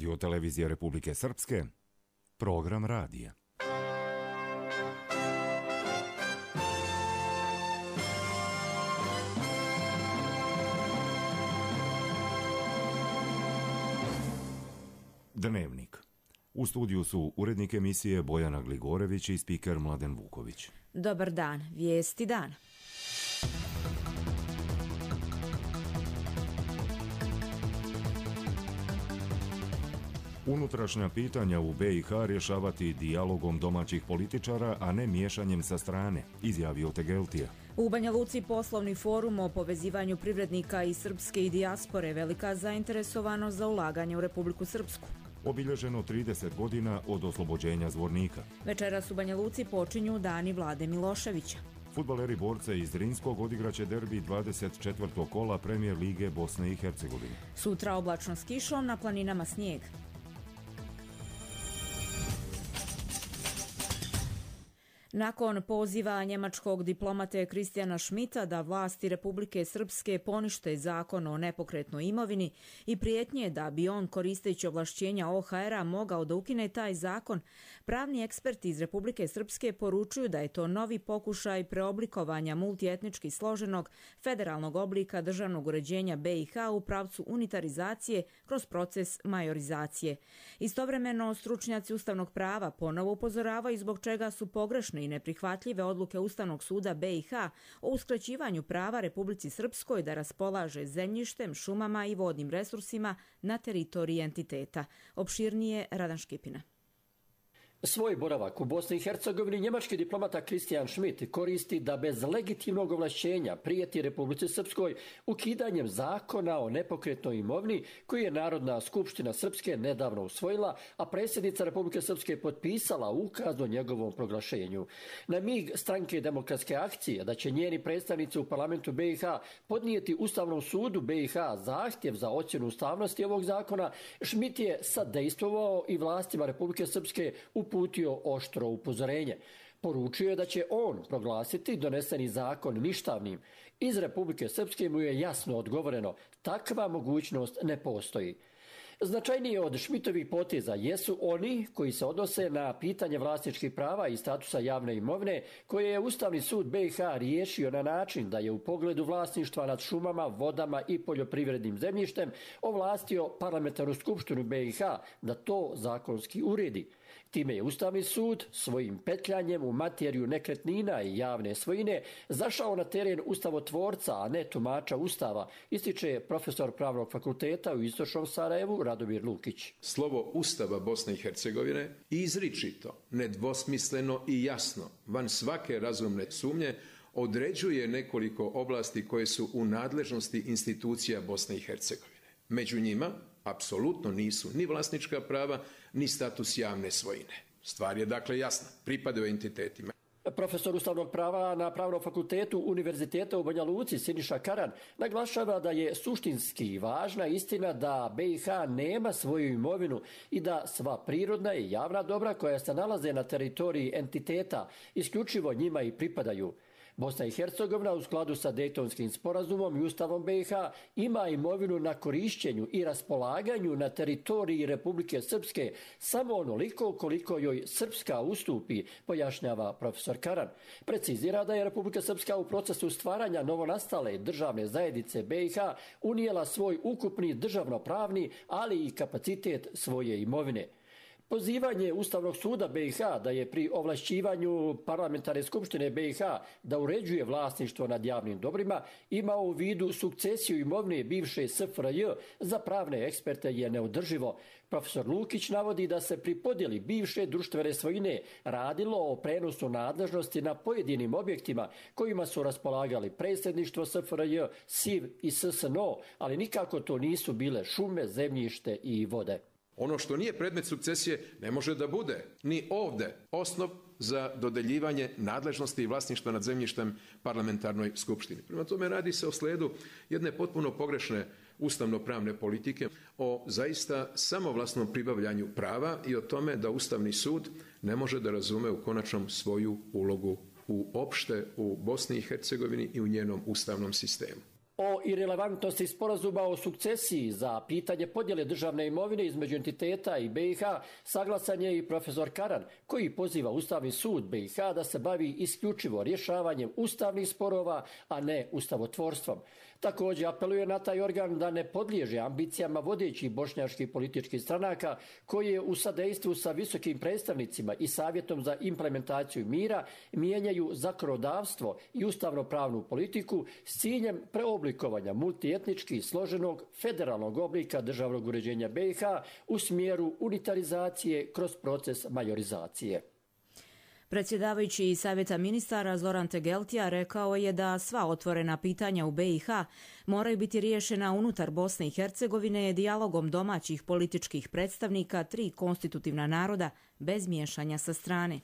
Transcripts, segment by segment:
Radio televizije Republike Srpske, program radija. Dnevnik. U studiju su urednik emisije Bojana Gligorević i spiker Mladen Vuković. Dobar dan, vijesti dana. Unutrašnja pitanja u BiH rješavati dijalogom domaćih političara, a ne miješanjem sa strane, izjavio Tegeltija. U Banja Luci poslovni forum o povezivanju privrednika iz srpske i dijaspore, velika zainteresovanost za ulaganje u Republiku Srpsku. Obilježeno 30 godina od oslobođenja Zvornika. Večeras u Banja Luci počinju dani Vlade Miloševića. Fudbaleri borce iz Drinskog odigraće derbi 24. kola Premijer lige Bosne i Hercegovine. Sutra oblačno s kišom, na planinama snijeg. Nakon poziva njemačkog diplomate Kristijana Schmidta da vlasti Republike Srpske ponište zakon o nepokretnoj imovini i prijetnje da bi on koristeći ovlašćenja OHR-a mogao da ukine taj zakon, pravni eksperti iz Republike Srpske poručuju da je to novi pokušaj preoblikovanja multietnički složenog federalnog oblika državnog uređenja BiH u pravcu unitarizacije kroz proces majorizacije. Istovremeno, stručnjaci ustavnog prava ponovo upozoravaju zbog čega su pogrešne i neprihvatljive odluke Ustavnog suda BiH o uskraćivanju prava Republici Srpskoj da raspolaže zemljištem, šumama i vodnim resursima na teritoriji entiteta. Opširnije Radan Škipina. Svoj boravak u Bosni i Hercegovini njemački diplomata Kristijan Schmidt koristi da bez legitimnog ovlašćenja prijeti Republici Srpskoj ukidanjem zakona o nepokretnoj imovini koji je Narodna skupština Srpske nedavno usvojila, a predsjednica Republike Srpske potpisala ukaz o njegovom proglašenju. Na mig stranke Demokratske akcije da će njeni predstavnici u parlamentu BiH podnijeti Ustavnom sudu BiH zahtjev za ocjenu ustavnosti ovog zakona, Schmidt je sadejstvovao i vlastima Republike Srpske uputio oštro upozorenje. Poručio je da će on proglasiti doneseni zakon ništavnim. Iz Republike Srpske mu je jasno odgovoreno, takva mogućnost ne postoji. Značajnije od Schmidtovih poteza jesu oni koji se odnose na pitanje vlasničkih prava i statusa javne imovine, koje je Ustavni sud BiH riješio na način da je u pogledu vlasništva nad šumama, vodama i poljoprivrednim zemljištem ovlastio parlamentarnu skupštinu BiH da to zakonski uredi. Time je Ustavni sud svojim petljanjem u materiju nekretnina i javne svojine zašao na teren ustavotvorca, a ne tumača Ustava, ističe profesor Pravnog fakulteta u Istočnom Sarajevu Radomir Lukić. Slovo Ustava Bosne i Hercegovine izričito, nedvosmisleno i jasno, van svake razumne sumnje, određuje nekoliko oblasti koje su u nadležnosti institucija Bosne i Hercegovine. Među njima apsolutno nisu ni vlasnička prava, ni status javne svojine. Stvar je dakle jasna, pripadaju entitetima. Profesor ustavnog prava na Pravnom fakultetu Univerziteta u Banja Luci Siniša Karan naglašava da je suštinski važna istina da BiH nema svoju imovinu i da sva prirodna i javna dobra koja se nalaze na teritoriji entiteta isključivo njima i pripadaju. Bosna i Hercegovina u skladu sa Dejtonskim sporazumom i Ustavom BiH ima imovinu na korišćenju i raspolaganju na teritoriji Republike Srpske samo onoliko koliko joj Srpska ustupi, pojašnjava profesor Karan. Precizira da je Republika Srpska u procesu stvaranja novonastale državne zajednice BiH unijela svoj ukupni državnopravni, ali i kapacitet svoje imovine. Pozivanje Ustavnog suda BiH da je pri ovlašćivanju parlamentarne skupštine BiH da uređuje vlasništvo nad javnim dobrima imao u vidu sukcesiju imovine bivše SFRJ za pravne eksperte je neodrživo. Profesor Lukić navodi da se pri podjeli bivše društvene svojine radilo o prenosu nadležnosti na pojedinim objektima kojima su raspolagali predsjedništvo SFRJ, SIV i SSNO, ali nikako to nisu bile šume, zemljište i vode. Ono što nije predmet sukcesije ne može da bude ni ovdje osnov za dodeljivanje nadležnosti i vlasništva nad zemljištem parlamentarnoj skupštini. Prema tome radi se o slijedu jedne potpuno pogrešne ustavno-pravne politike, o zaista samovlasnom pribavljanju prava i o tome da Ustavni sud ne može da razume u konačnom svoju ulogu uopšte u Bosni i Hercegovini i u njenom ustavnom sistemu. O irelevantnosti sporazuma o sukcesiji za pitanje podjele državne imovine između entiteta i BiH saglasan je i profesor Karan, koji poziva Ustavni sud BiH da se bavi isključivo rješavanjem ustavnih sporova, a ne ustavotvorstvom. Također apeluje na taj organ da ne podliježe ambicijama vodećih bošnjačkih političkih stranaka koje u sadejstvu sa visokim predstavnicima i Savjetom za implementaciju mira mijenjaju zakonodavstvo i ustavno-pravnu politiku s ciljem preoblikovanja multietnički složenog federalnog oblika državnog uređenja BiH u smjeru unitarizacije kroz proces majorizacije. Predsjedavajući Savjeta ministara Zoran Tegeltija rekao je da sva otvorena pitanja u BiH moraju biti riješena unutar Bosne i Hercegovine dijalogom domaćih političkih predstavnika 3 konstitutivna naroda bez miješanja sa strane.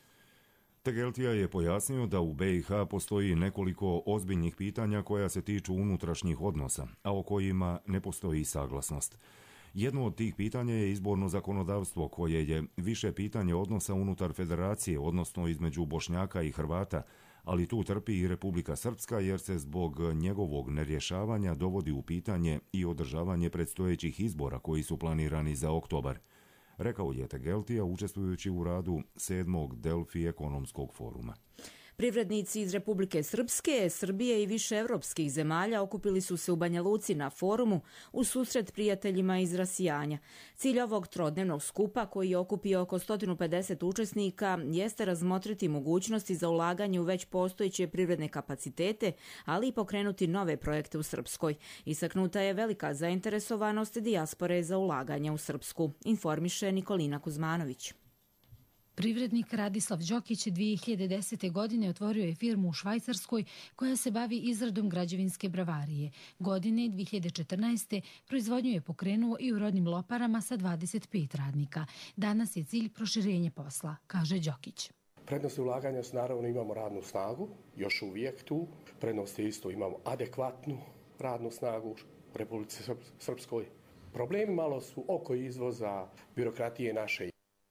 Tegeltija je pojasnio da u BiH postoji nekoliko ozbiljnih pitanja koja se tiču unutrašnjih odnosa, a o kojima ne postoji saglasnost. Jedno od tih pitanja je izborno zakonodavstvo, koje je više pitanje odnosa unutar federacije, odnosno između Bošnjaka i Hrvata, ali tu trpi i Republika Srpska jer se zbog njegovog nerješavanja dovodi u pitanje i održavanje predstojećih izbora koji su planirani za oktobar, rekao je Tegeltija učestvujući u radu 7. Delfi ekonomskog foruma. Privrednici iz Republike Srpske, Srbije i više evropskih zemalja okupili su se u Banja Luci na forumu u susret prijateljima iz rasijanja. Cilj ovog trodnevnog skupa, koji je okupio oko 150 učesnika, jeste razmotriti mogućnosti za ulaganje u već postojeće privredne kapacitete, ali i pokrenuti nove projekte u Srpskoj. Istaknuta je velika zainteresovanost dijaspore za ulaganje u Srpsku, informiše Nikolina Kuzmanović. Privrednik Radislav Đokić 2010. godine otvorio je firmu u Švajcarskoj koja se bavi izradom građevinske bravarije. Godine 2014. proizvodnju je pokrenuo i u rodnim Loparama sa 25 radnika. Danas je cilj proširenje posla, kaže Đokić. Prednosti ulaganja su naravno imamo radnu snagu, još uvijek tu. Prednosti isto imamo adekvatnu radnu snagu u Republici Srpskoj. Problemi malo su oko izvoza, birokratije naše.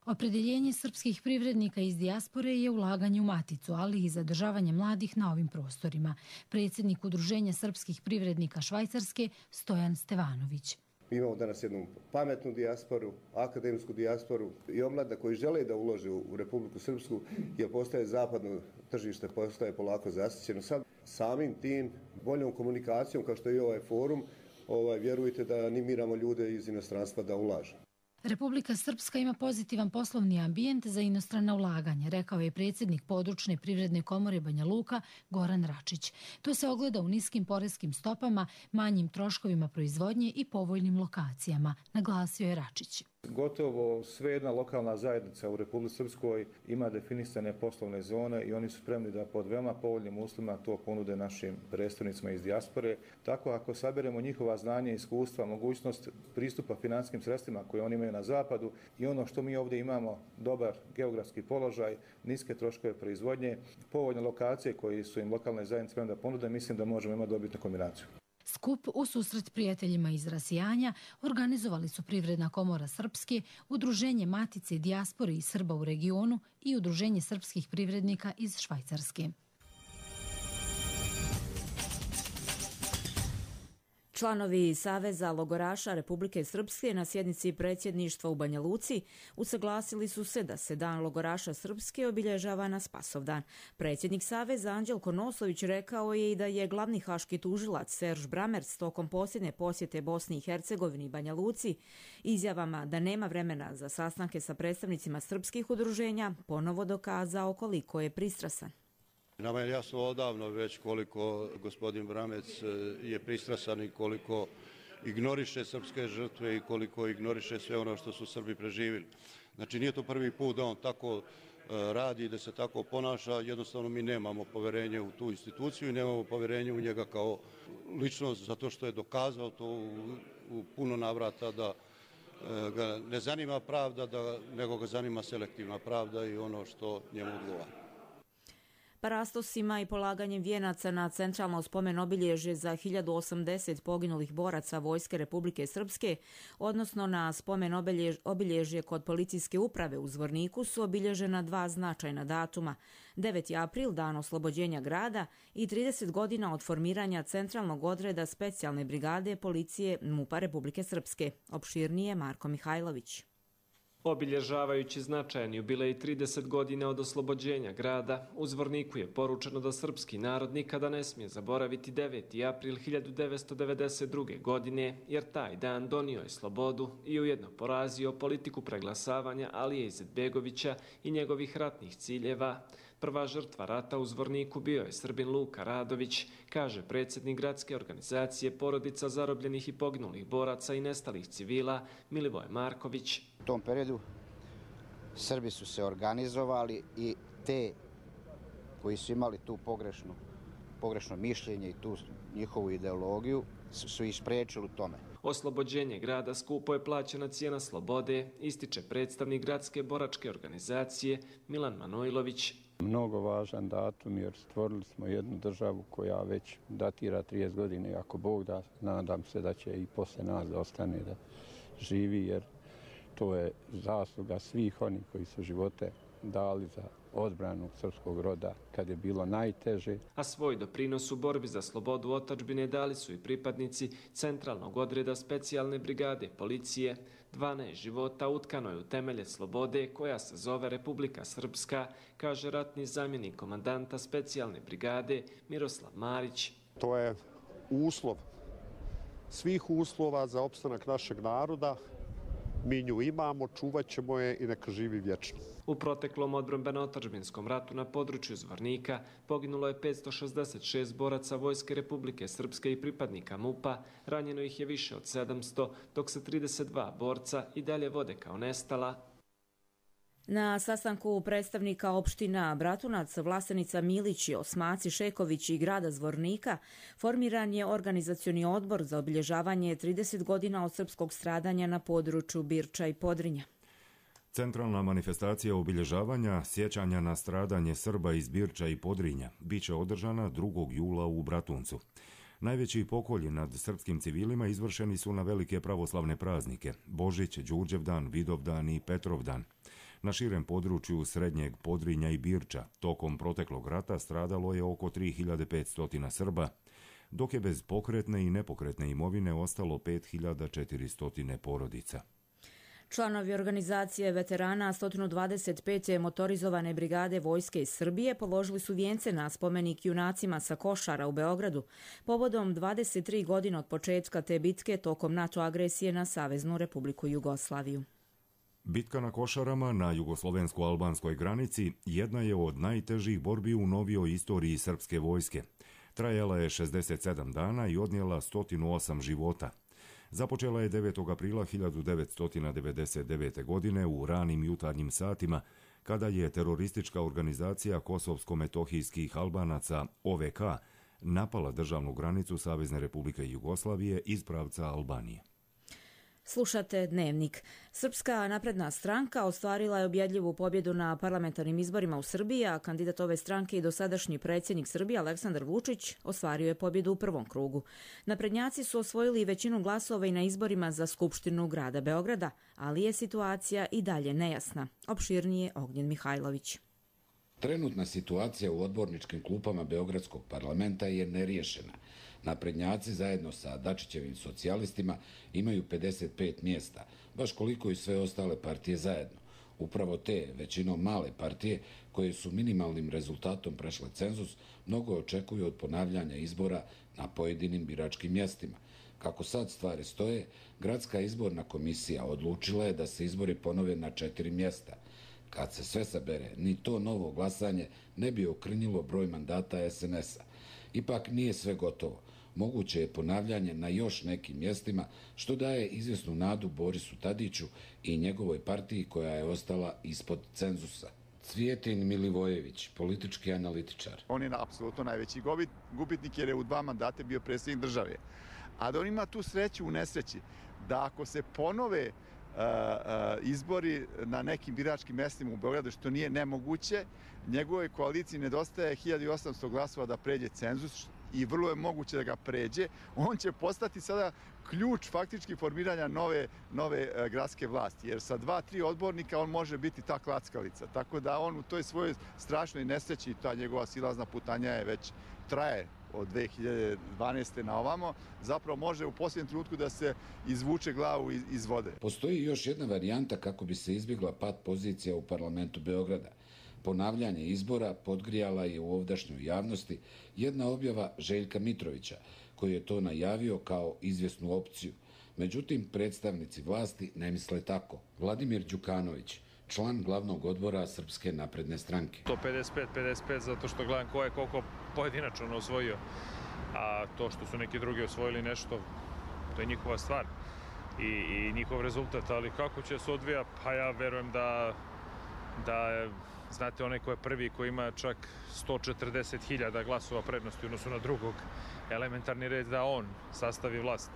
Opredeljenje srpskih privrednika iz dijaspore je ulaganje u maticu, ali i zadržavanje mladih na ovim prostorima. Predsjednik Udruženja srpskih privrednika Švajcarske, Stojan Stevanović. Mi imamo danas jednu pametnu dijasporu, akademsku dijasporu i omladina koji žele da ulože u Republiku Srpsku, jer postaje zapadno tržište, postaje polako zasićeno. Sad samim tim boljom komunikacijom, kao što je i ovaj forum, vjerujte da animiramo ljude iz inostranstva da ulažu. Republika Srpska ima pozitivan poslovni ambijent za inostrana ulaganja, rekao je predsjednik područne privredne komore Banja Luka Goran Račić. To se ogleda u niskim poreskim stopama, manjim troškovima proizvodnje i povoljnim lokacijama, naglasio je Račić. Gotovo sve jedna lokalna zajednica u Republici Srpskoj ima definisane poslovne zone i oni su spremni da pod veoma povoljnim uslovima to ponude našim predstavnicima iz dijaspore. Tako ako saberemo njihova znanja i iskustva, mogućnost pristupa financijskim sredstvima koje oni imaju na zapadu i ono što mi ovdje imamo, dobar geografski položaj, niske troškove proizvodnje, povoljne lokacije koje su im lokalne zajednice spremne da ponude, mislim da možemo imati dobitnu kombinaciju. Skup u susret prijateljima iz rasijanja organizovali su Privredna komora Srpske, Udruženje Matice dijaspore i Srba u regionu i Udruženje srpskih privrednika iz Švajcarske. Članovi Saveza logoraša Republike Srpske na sjednici predsjedništva u Banja Luci usaglasili su se da se Dan logoraša Srpske obilježava na Spasovdan. Predsjednik Saveza Anđelko Noslović rekao je i da je glavni haški tužilac Serž Bramerc tokom posljednje posjete Bosni i Hercegovini i Banja Luci izjavama da nema vremena za sastanke sa predstavnicima srpskih udruženja ponovo dokazao koliko je pristrasan. Nama je jasno odavno već koliko gospodin Bramec je pristrasan i koliko ignoriše srpske žrtve i koliko ignoriše sve ono što su Srbi preživjeli. Znači nije to prvi put da on tako radi, da se tako ponaša, jednostavno mi nemamo poverenje u tu instituciju i nemamo poverenje u njega kao ličnost zato što je dokazao to u puno navrata da ga ne zanima pravda, nego ga zanima selektivna pravda i ono što njemu odgovara. Parastosima i polaganjem vijenaca na centralno spomen obilježje za 1080 poginulih boraca Vojske Republike Srpske, odnosno na spomen obilježje kod policijske uprave u Zvorniku, su obilježena dva značajna datuma. 9. april, dan oslobođenja grada, i 30 godina od formiranja centralnog odreda specijalne brigade policije MUP-a Republike Srpske. Opširnije Marko Mihajlović. Obilježavajući značajan jubilej 30 godina od oslobođenja grada, u Zvorniku je poručeno da srpski narod nikada ne smije zaboraviti 9. april 1992. godine, jer taj dan donio je slobodu i ujedno porazio politiku preglasavanja Alije Izetbegovića i njegovih ratnih ciljeva. Prva žrtva rata u Zvorniku bio je Srbin Luka Radović, kaže predsjednik gradske organizacije Porodica zarobljenih i poginulih boraca i nestalih civila Milivoje Marković. U tom periodu Srbi su se organizovali i te koji su imali tu pogrešno mišljenje i tu njihovu ideologiju su ih spriječili u tome. Oslobođenje grada skupo je plaćena cijena slobode, ističe predstavnik gradske boračke organizacije Milan Manojlović. Mnogo važan datum jer stvorili smo jednu državu koja već datira 30 godina i ako Bog da, nadam se da će i posle nas da ostane da živi jer to je zasluga svih onih koji su živote dali za odbranu srpskog roda kad je bilo najteže. A svoj doprinos u borbi za slobodu otadžbine dali su i pripadnici centralnog odreda specijalne brigade policije. 12 života utkano je u temelje slobode koja se zove Republika Srpska, kaže ratni zamjenik komandanta specijalne brigade Miroslav Marić. To je uslov svih uslova za opstanak našeg naroda. Mi nju imamo, čuvat ćemo je i neka živi vječno. U proteklom odbrambeno-otadžbinskom ratu na području Zvornika poginulo je 566 boraca Vojske Republike Srpske i pripadnika MUP-a, ranjeno ih je više od 700, dok se 32 borca i dalje vode kao nestala. Na sastanku predstavnika opština Bratunac, Vlasenica Milić, Osmaci Šeković i grada Zvornika formiran je organizacioni odbor za obilježavanje 30 godina od srpskog stradanja na području Birča i Podrinja. Centralna manifestacija obilježavanja sjećanja na stradanje Srba iz Birča i Podrinja biće održana 2. jula u Bratuncu. Najveći pokolji nad srpskim civilima izvršeni su na velike pravoslavne praznike Božić, Đurđevdan, Vidovdan i Petrovdan. Na širem području Srednjeg Podrinja i Birča tokom proteklog rata stradalo je oko 3500 Srba, dok je bez pokretne i nepokretne imovine ostalo 5400 porodica. Članovi organizacije veterana 125. motorizovane brigade Vojske iz Srbije položili su vijence na spomenik junacima sa Košara u Beogradu povodom 23 godine od početka te bitke tokom NATO agresije na Saveznu Republiku Jugoslaviju. Bitka na Košarama na jugoslovensko-albanskoj granici jedna je od najtežih borbi u novijoj istoriji srpske vojske. Trajala je 67 dana i odnijela 108 života. Započela je 9. aprila 1999. godine u ranim jutarnjim satima, kada je teroristička organizacija kosovsko-metohijskih Albanaca OVK napala državnu granicu Savezne Republike Jugoslavije iz pravca Albanije. Slušate Dnevnik. Srpska napredna stranka ostvarila je ubjedljivu pobjedu na parlamentarnim izborima u Srbiji, a kandidat ove stranke i dosadašnji predsjednik Srbije Aleksandar Vučić ostvario je pobjedu u prvom krugu. Naprednjaci su osvojili većinu glasova i na izborima za Skupštinu grada Beograda, ali je situacija i dalje nejasna. Opširnije Ognjen Mihajlović. Trenutna situacija u odborničkim klupama Beogradskog parlamenta je neriješena. Naprednjaci zajedno sa Dačićevim socijalistima imaju 55 mjesta, baš koliko i sve ostale partije zajedno. Upravo te, većinom male partije, koje su minimalnim rezultatom prešle cenzus, mnogo očekuju od ponavljanja izbora na pojedinim biračkim mjestima. Kako sad stvari stoje, Gradska izborna komisija odlučila je da se izbori ponove na 4 mjesta. Kad se sve sabere, ni to novo glasanje ne bi okrnjilo broj mandata SNS-a. Ipak nije sve gotovo. Moguće je ponavljanje na još nekim mjestima, što daje izvjesnu nadu Borisu Tadiću i njegovoj partiji koja je ostala ispod cenzusa. Cvijetin Milivojević, politički analitičar. On je apsolutno najveći gubitnik jer je u 2 mandate bio predsjednik države. A da on ima tu sreću u nesreći, da ako se ponove izbori na nekim biračkim mestima u Beogradu, što nije nemoguće. Njegovoj koaliciji nedostaje 1800 glasova da pređe cenzus i vrlo je moguće da ga pređe. On će postati sada ključ faktički formiranja nove gradske vlasti, jer sa 2-3 odbornika on može biti ta klackalica. Tako da on u toj svojoj strašnoj nesreći, ta njegova silazna putanja je već traje od 2012. na ovamo, zapravo može u posljednjem trenutku da se izvuče glavu iz vode. Postoji još jedna varijanta kako bi se izbjegla pad pozicija u parlamentu Beograda. Ponavljanje izbora podgrijala je u ovdašnjoj javnosti jedna objava Željka Mitrovića, koji je to najavio kao izvjesnu opciju. Međutim, predstavnici vlasti ne misle tako. Vladimir Đukanović, član glavnog odbora Srpske napredne stranke. To 55-55 zato što gledam ko je koliko pojedinačno osvojio, a to što su neki drugi osvojili nešto, to je njihova stvar i njihov rezultat, ali kako će se odvija, pa ja verujem da znate, onaj ko je prvi, ko ima čak 140.000 glasova prednosti u odnosu na drugog, elementarni red da on sastavi vlast.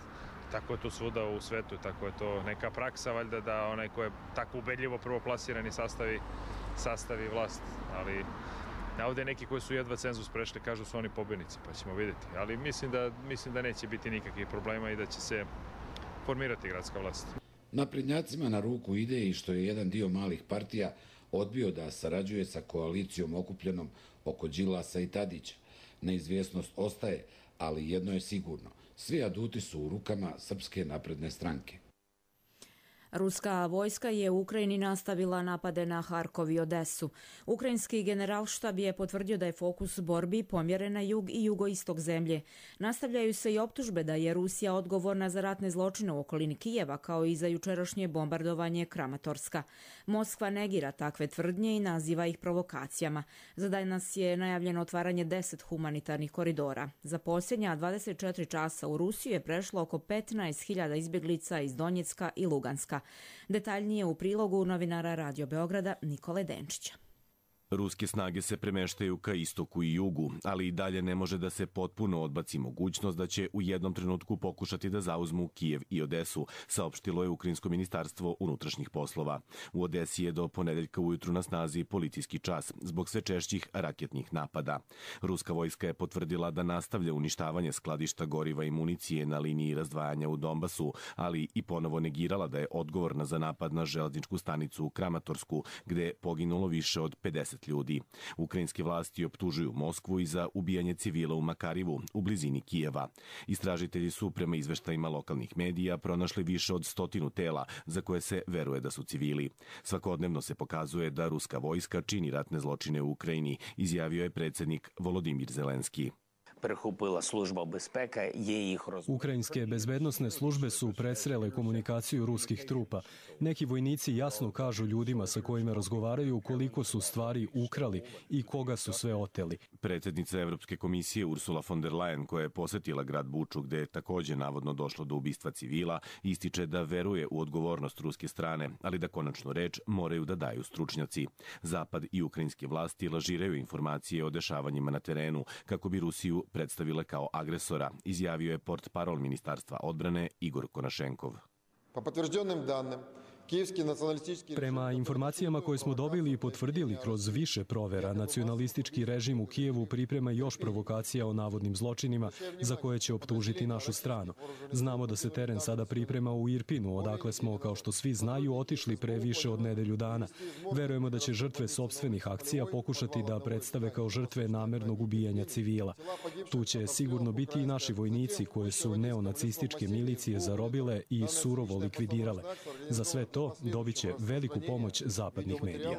Tako je to svuda u svetu, tako je to neka praksa, valjda, da onaj ko je tako ubedljivo prvoplasirani sastavi vlast. Ali ovdje neki koji su jedva cenzus prešli kažu su oni pobjednici, pa ćemo vidjeti. Ali mislim da neće biti nikakvih problema i da će se formirati gradska vlast. Naprednjacima na ruku ide i što je jedan dio malih partija odbio da sarađuje sa koalicijom okupljenom oko Đilasa i Tadića. Neizvjesnost ostaje, ali jedno je sigurno. Svi aduti su u rukama Srpske napredne stranke. Ruska vojska je u Ukrajini nastavila napade na Harkov i Odesu. Ukrajinski generalštab je potvrdio da je fokus borbi pomjeren na jug i jugoistok zemlje. Nastavljaju se i optužbe da je Rusija odgovorna za ratne zločine u okolini Kijeva, kao i za jučerašnje bombardovanje Kramatorska. Moskva negira takve tvrdnje i naziva ih provokacijama. Za danas je najavljeno otvaranje 10 humanitarnih koridora. Za posljednja 24 časa u Rusiju je prešlo oko 15.000 izbjeglica iz Donjecka i Luganska. Detaljnije u prilogu novinara Radio Beograda Nikole Denčića. Ruske snage se premeštaju ka istoku i jugu, ali i dalje ne može da se potpuno odbaci mogućnost da će u jednom trenutku pokušati da zauzmu Kijev i Odesu, saopštilo je Ukrajinsko ministarstvo unutrašnjih poslova. U Odesi je do ponedeljka ujutru na snazi policijski čas zbog sve češćih raketnih napada. Ruska vojska je potvrdila da nastavlja uništavanje skladišta goriva i municije na liniji razdvajanja u Donbasu, ali i ponovo negirala da je odgovorna za napad na železničku stanicu u Kramatorsku, gde je poginulo više od 50 ljudi. Ukrajinske vlasti optužuju Moskvu i za ubijanje civila u Makarivu, u blizini Kijeva. Istražitelji su, prema izveštajima lokalnih medija, pronašli više od 100 tela za koje se veruje da su civili. Svakodnevno se pokazuje da ruska vojska čini ratne zločine u Ukrajini, izjavio je predsjednik Volodimir Zelenski. Ukrajinske bezbednosne službe su presrele komunikaciju ruskih trupa. Neki vojnici jasno kažu ljudima sa kojima razgovaraju koliko su stvari ukrali i koga su sve oteli. Predsjednica Evropske komisije Ursula von der Leyen, koja je posjetila grad Buču, gde je također navodno došlo do ubistva civila, ističe da veruje u odgovornost ruske strane, ali da konačnu reč moraju da daju stručnjaci. Zapad i ukrajinske vlasti lažiraju informacije o dešavanjima na terenu kako bi Rusiju predstavile kao agresora, izjavio je portparol Ministarstva odbrane Igor Konašenkov. Prema informacijama koje smo dobili i potvrdili kroz više provera, nacionalistički režim u Kijevu priprema još provokacija o navodnim zločinima za koje će optužiti našu stranu. Znamo da se teren sada priprema u Irpinu, odakle smo, kao što svi znaju, otišli pre više od nedelju dana. Verujemo da će žrtve sopstvenih akcija pokušati da predstave kao žrtve namernog ubijanja civila. Tu će sigurno biti i naši vojnici koje su neonacističke milicije zarobile i surovo likvidirale. Za sve to dobit će veliku pomoć zapadnih medija.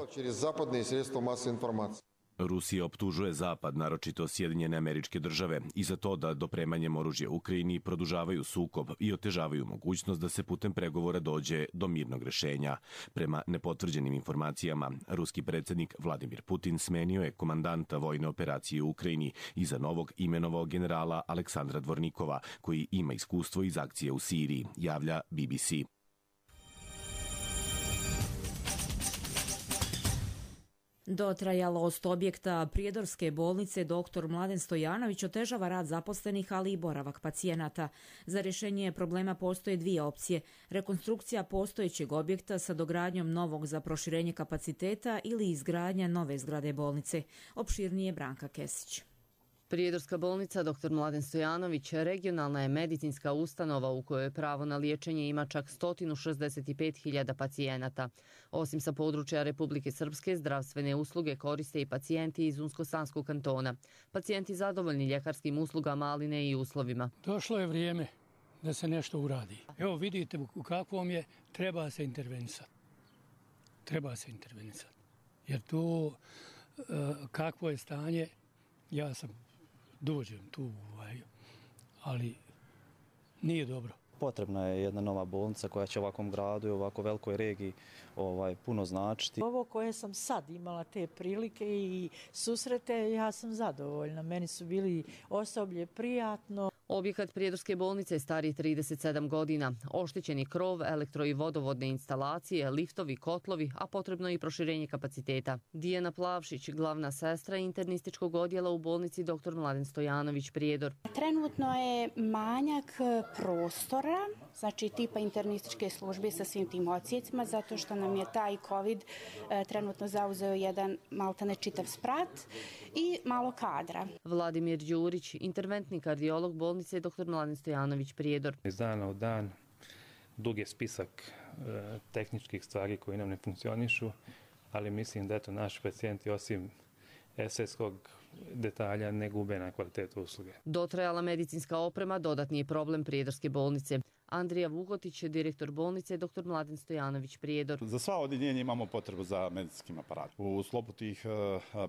Rusija optužuje Zapad, naročito Sjedinjene Američke Države, i za to da dopremanjem oružja Ukrajini produžavaju sukob i otežavaju mogućnost da se putem pregovora dođe do mirnog rešenja. Prema nepotvrđenim informacijama, ruski predsjednik Vladimir Putin smenio je komandanta vojne operacije u Ukrajini i za novog imenovao generala Aleksandra Dvornikova, koji ima iskustvo iz akcije u Siriji, javlja BBC. Dotrajalost objekta Prijedorske bolnice dr. Mladen Stojanović otežava rad zaposlenih, ali i boravak pacijenata. Za rješenje problema postoje dvije opcije: rekonstrukcija postojećeg objekta sa dogradnjom novog za proširenje kapaciteta ili izgradnja nove zgrade bolnice. Opširnije Branka Kesić. Prijedorska bolnica dr. Mladen Stojanović regionalna je medicinska ustanova u kojoj pravo na liječenje ima čak 165.000 pacijenata. Osim sa područja Republike Srpske, zdravstvene usluge koriste i pacijenti iz Unsko-Sanskog kantona. Pacijenti zadovoljni ljekarskim uslugama, ali ne i uslovima. Došlo je vrijeme da se nešto uradi. Evo vidite u kakvom je, treba se intervenisati. Treba se intervenisati. Jer to kakvo je stanje, ja sam dođem tu, ali nije dobro. Potrebna je jedna nova bolnica koja će ovakvom gradu i ovako velikoj regiji puno značiti. Ovo koje sam sad imala te prilike i susrete, ja sam zadovoljna. Meni su bili osoblje prijatno. Objekat Prijedorske bolnice je stari 37 godina. Oštećeni krov, elektro i vodovodne instalacije, liftovi, kotlovi, a potrebno je i proširenje kapaciteta. Dijana Plavšić, glavna sestra internističkog odjela u bolnici dr. Mladen Stojanović Prijedor. Trenutno je manjak prostora, znači tipa internističke službe sa svim tim odsjecima, zato što nam je taj COVID trenutno zauzeo jedan maltene čitav sprat i malo kadra. Vladimir Đurić, interventni kardiolog bolnice dr. Mladen Stojanović Prijedor. Iz dana u dan dug je spisak tehničkih stvari koji nam ne funkcionišu, ali mislim da naši pacijenti osim estetskog detalja ne gube na kvalitetu usluge. Dotrajala medicinska oprema dodatni je problem Prijedorske bolnice. Andrija Vukotić, direktor bolnice dr. Mladen Stojanović Prijedor. Za sva odjeljenja imamo potrebu za medicinskim aparatom. U sklopu tih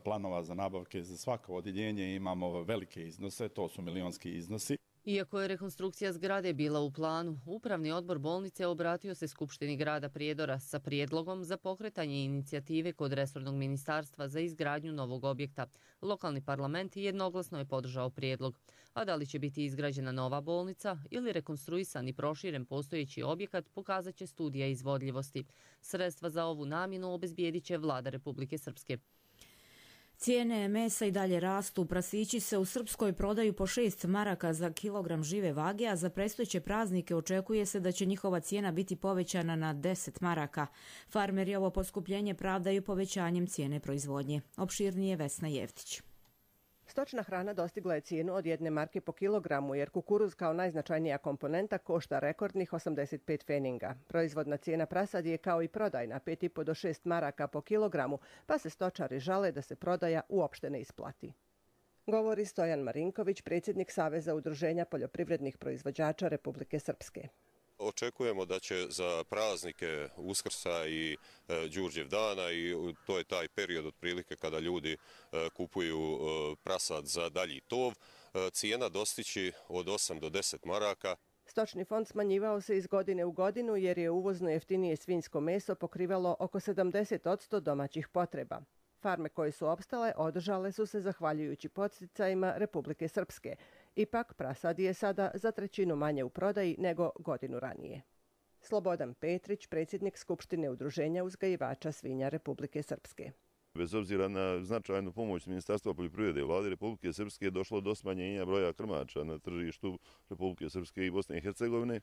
planova za nabavke za svako odjeljenje imamo velike iznose, to su milionski iznosi. Iako je rekonstrukcija zgrade bila u planu, Upravni odbor bolnice obratio se Skupštini grada Prijedora sa prijedlogom za pokretanje inicijative kod resornog ministarstva za izgradnju novog objekta. Lokalni parlament jednoglasno je podržao prijedlog. A da li će biti izgrađena nova bolnica ili rekonstruisan i proširen postojeći objekat, pokazat će studija izvodljivosti. Sredstva za ovu namjenu obezbijedit će vlada Republike Srpske. Cijene mesa i dalje rastu. Prasići se u Srpskoj prodaju po 6 maraka za kilogram žive vage, a za predstojeće praznike očekuje se da će njihova cijena biti povećana na 10 maraka. Farmeri ovo poskupljenje pravdaju povećanjem cijene proizvodnje. Opširnije Vesna Jevtić. Stočna hrana dostigla je cijenu od 1 marke po kilogramu, jer kukuruz kao najznačajnija komponenta košta rekordnih 85 feninga. Proizvodna cijena prasadi je kao i prodajna 5,5 do 6 maraka po kilogramu, pa se stočari žale da se prodaja uopšte ne isplati. Govori Stojan Marinković, predsjednik Saveza udruženja poljoprivrednih proizvođača Republike Srpske. Očekujemo da će za praznike Uskrsa i Đurđev dana, i to je taj period otprilike kada ljudi kupuju prasad za dalji tov, cijena dostići od 8 do 10 maraka. Stočni fond smanjivao se iz godine u godinu jer je uvozno jeftinije svinjsko meso pokrivalo oko 70% domaćih potreba. Farme koje su opstale održale su se zahvaljujući podsticajima Republike Srpske. Ipak prasad je sada za 1/3 manje u prodaji nego godinu ranije. Slobodan Petrić, predsjednik Skupštine udruženja uzgajivača svinja Republike Srpske. Bez obzira na značajnu pomoć Ministarstva poljoprivrede i vlade Republike Srpske došlo do smanjenja broja krmača na tržištu Republike Srpske i Bosne i Hercegovine,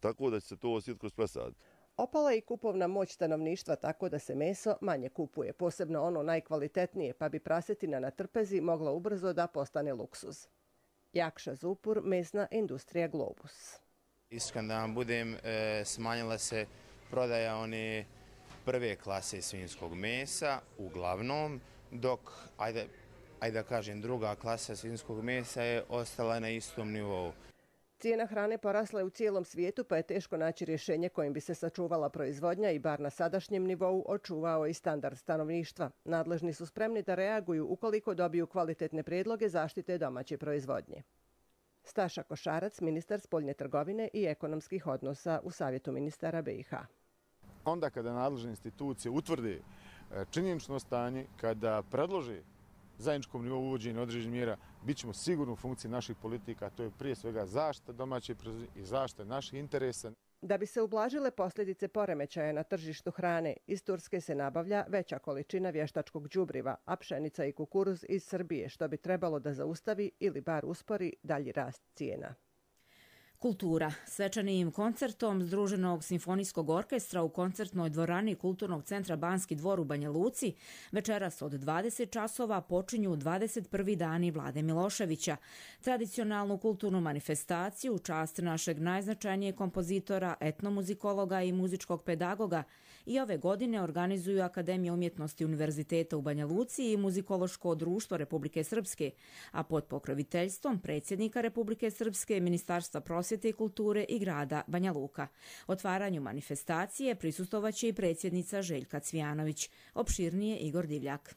tako da će se to osjetiti kroz prasad. Opala je i kupovna moć stanovništva, tako da se meso manje kupuje, posebno ono najkvalitetnije, pa bi prasetina na trpezi mogla ubrzo da postane luksuz. Jakša Zupur, mesna industrija Globus. Iskren da vam budem, smanjila se prodaja one prve klase svinjskog mesa, uglavnom, dok, ajde da kažem, druga klasa svinjskog mesa je ostala na istom nivou. Cijena hrane porasla je u cijelom svijetu, pa je teško naći rješenje kojim bi se sačuvala proizvodnja i bar na sadašnjem nivou očuvao i standard stanovništva. Nadležni su spremni da reaguju ukoliko dobiju kvalitetne prijedloge zaštite domaće proizvodnje. Staša Košarac, ministar spoljne trgovine i ekonomskih odnosa u Savjetu ministara BiH. Onda kada nadležne institucije utvrde činjenično stanje, kada predlože zajedničkom nivou uvođenja određenih mjera, bit ćemo sigurno u funkciji naših politika, to je prije svega zaštita domaće proizvodnje i zaštita naših interesa. Da bi se ublažile posljedice poremećaja na tržištu hrane, iz Turske se nabavlja veća količina vještačkog đubriva, a pšenica i kukuruz iz Srbije, što bi trebalo da zaustavi ili bar uspori dalji rast cijena. Kultura. Svečanim koncertom Združenog simfonijskog orkestra u koncertnoj dvorani Kulturnog centra Banski dvor u Banja Luci večeras od 20 časova počinju 21. dani Vlade Miloševića, tradicionalnu kulturnu manifestaciju u čast našeg najznačajnijeg kompozitora, etnomuzikologa i muzičkog pedagoga i ove godine organizuju Akademija umjetnosti Univerziteta u Banja Luci i Muzikološko društvo Republike Srpske, a pod pokroviteljstvom predsjednika Republike Srpske, Ministarstva prosvjete i kulture i grada Banja Luka. Otvaranju manifestacije prisustvovaće i predsjednica Željka Cvijanović. Opširnije Igor Divljak.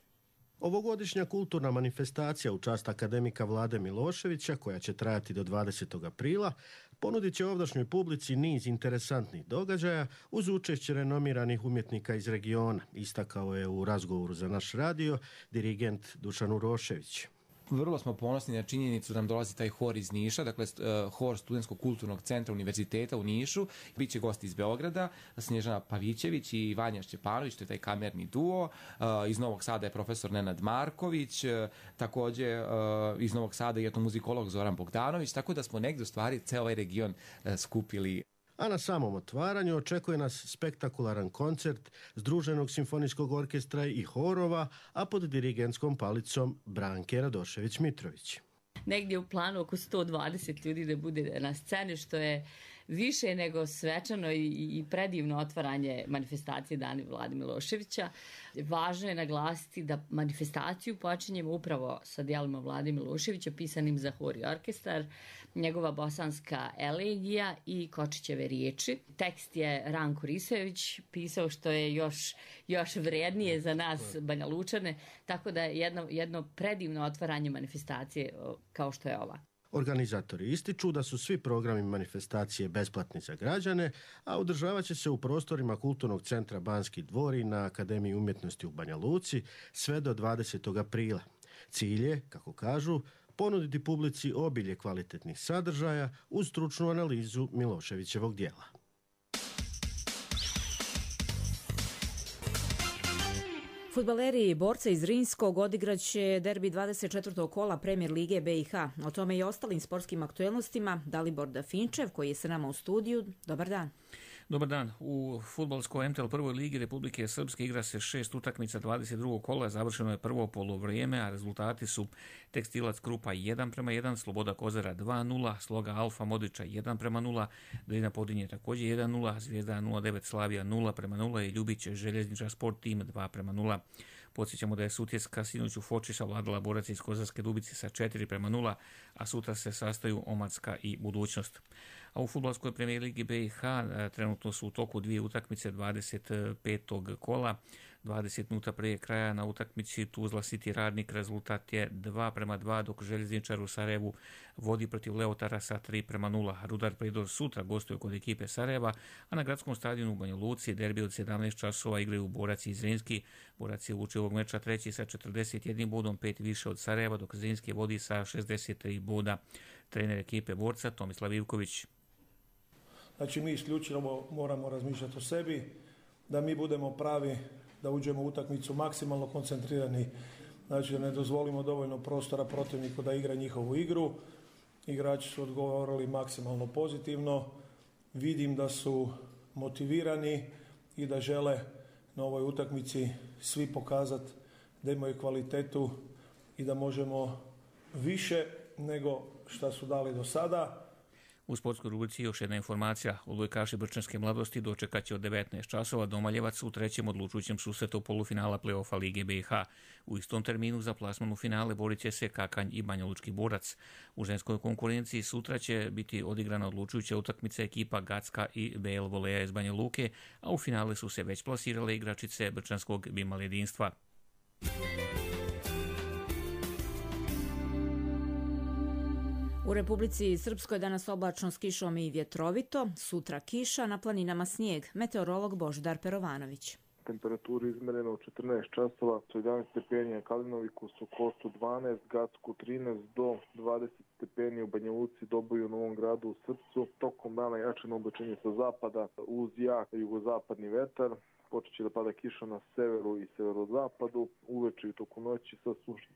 Ovogodišnja kulturna manifestacija u čast akademika Vlade Miloševića, koja će trajati do 20. aprila, ponudit će ovdašnjoj publici niz interesantnih događaja uz učešće renomiranih umjetnika iz regiona, istakao je u razgovoru za naš radio dirigent Dušan Urošević. Vrlo smo ponosni na činjenicu da nam dolazi taj hor iz Niša, dakle hor Studentskog kulturnog centra Univerziteta u Nišu. Biće gosti iz Beograda, Snježana Pavićević i Vanja Šćepanović, to je taj kamerni duo. Iz Novog Sada je profesor Nenad Marković, također iz Novog Sada je etnomuzikolog Zoran Bogdanović, tako da smo negdje u stvari ceo ovaj region skupili. A na samom otvaranju očekuje nas spektakularan koncert Združenog simfonijskog orkestra i horova, a pod dirigentskom palicom Branke Radošević-Mitrović. Negdje u planu oko 120 ljudi da bude na sceni, što je više nego svečano i predivno otvaranje manifestacije Dani Vlade Miloševića. Važno je naglasiti da manifestaciju počinjemo upravo sa dijelima Vlade Miloševića pisanim za hor i orkestar, njegova bosanska elegija i Kočićeve riječi. Tekst je Ranko Risojević pisao, što je još vrednije za nas Banja Lučane, tako da je jedno predivno otvaranje manifestacije kao što je ova. Organizatori ističu da su svi programi manifestacije besplatni za građane, a održavat će se u prostorima Kulturnog centra Banski dvor i na Akademiji umjetnosti u Banja Luci sve do 20. aprila. Cilj je, kako kažu, ponuditi publici obilje kvalitetnih sadržaja uz stručnu analizu Miloševićevog djela. Fudbaleri i borce iz Zrinskog odigraće derbi 24. kola Premier Lige BiH. O tome i ostalim sportskim aktuelnostima Dalibor Dafinčev, koji je sa nama u studiju. Dobar dan. Dobar dan. U fudbalskoj MTL prvoj ligi Republike Srpske igra se 6 utakmica 22. kola. Završeno je prvo polovrijeme, a rezultati su Tekstilac Krupa 1:1, Sloboda Kozara 2:0, Sloga Alfa Modiča 1:0, Drina Podinje također 1:0, Zvijezda 09 Slavija 0:0 i Ljubić Željezničar Sport Tim 2:0. Podsjećamo da je Sutjeska sinoć u Foči savladala Borac iz Kozarske Dubice sa 4:0, a sutra se sastaju Omacka i Budućnost. A u fudbalskoj premijer ligi BiH trenutno su u toku dvije utakmice 25. kola. 20 minuta prije kraja na utakmici Tuzla City Radnik rezultat je 2:2, dok Željezničar u Sarajevu vodi protiv Leotara sa 3:0. Rudar Pridor sutra gostuje kod ekipe Sarajeva, a na gradskom stadionu u Banja Luci derbi od 17 časova igraju Borac i Zrinski. Borac je uči ovog meča treći sa 41 bodom, 5 više od Sarajeva, dok Zrinski vodi sa 63 boda. Trener ekipe Borca Tomislav Ivković. Znači mi isključivo moramo razmišljati o sebi, da mi budemo pravi, da uđemo u utakmicu maksimalno koncentrirani, znači da ne dozvolimo dovoljno prostora protivniku da igra njihovu igru. Igrači su odgovorili maksimalno pozitivno, vidim da su motivirani i da žele na ovoj utakmici svi pokazati da imaju kvalitetu i da možemo više nego što su dali do sada. U sportskoj rubrici još jedna informacija. Odbojkaši Brčanske mladosti dočekat će od 19 časova Domaljevac u trećem odlučujućem susretu polufinala play-offa Lige BiH. U istom terminu za plasman u finale borit će se Kakanj i Banjalučki Borac. U ženskoj konkurenciji sutra će biti odigrana odlučujuća utakmica ekipa Gacka i BL Voleja iz Banja Luke, a u finale su se već plasirale igračice Brčanskog Bimal jedinstva. U Republici Srpskoj danas oblačno s kišom i vjetrovito, sutra kiša, na planinama snijeg. Meteorolog Božidar Perovanović. Temperaturu izmereno u 14 časova su 11 stepeni Kalinoviku, Sokotu 12, Gacku 13 do 20 stepeni u Banja Luci, Doboju, Novom Gradu, u Srpcu. Tokom dana jačano oblačenje sa zapada uz jak jugozapadni vetar. Počet će da pada kiša na severu i severozapadu, uveče i toku noći sa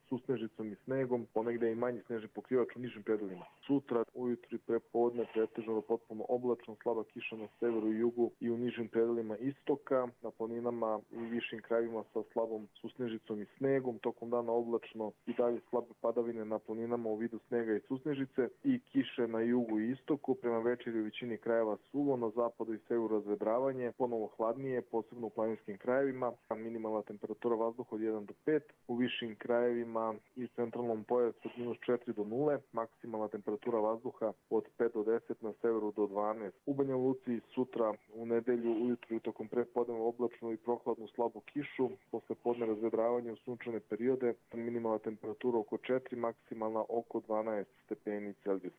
susnežicom i snegom, ponegde i manji snežni pokrivač u nižim predelima. Sutra ujutru i prepodne pretežno do potpuno oblačno, slaba kiša na severu i jugu i u nižim predelima istoka, na planinama i višim krajevima sa slabom susnežicom i snegom, tokom dana oblačno i dalje slabe padavine na planinama u vidu snega i susnežice i kiše na jugu i istoku, prema večeri u većini krajeva suvo, na zapadu i severu razvedravanje, ponovo hladnije, posebno u planinskim krajevima, minimalna temperatura vazduha od 1 do 5, u višim krajevima i centralnom pojasu od -4 do 0, maksimalna temperatura vazduha od 5 do 10, na severu do 12. U Banja Luci sutra u nedelju ujutru i tokom prepodneva oblačnu i prohladnu slabu kišu, posle podne razvedravanje u sunčane periode, minimalna temperatura oko 4, maksimalna oko 12 stepeni Celzijusa.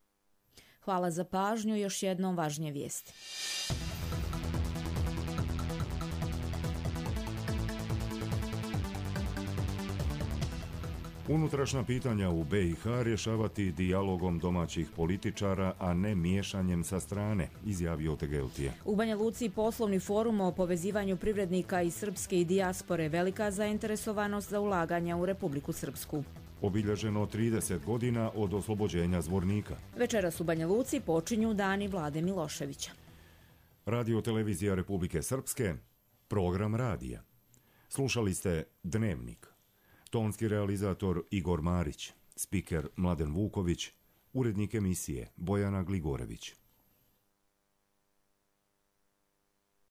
Hvala za pažnju, još jednom važnije vijesti. Unutrašnja pitanja u BiH rješavati dijalogom domaćih političara, a ne miješanjem sa strane, izjavio Tegeltije. U Banja Luci poslovni forum o povezivanju privrednika iz srpske i dijaspore, velika zainteresovanost za ulaganja u Republiku Srpsku. Obilježeno 30 godina od oslobođenja Zvornika. Večeras u Banja Luci počinju dani Vlade Miloševića. Radio televizija Republike Srpske, program radija. Slušali ste Dnevnik. Tonski realizator Igor Marić, spiker Mladen Vuković, urednik emisije Bojana Gligorević.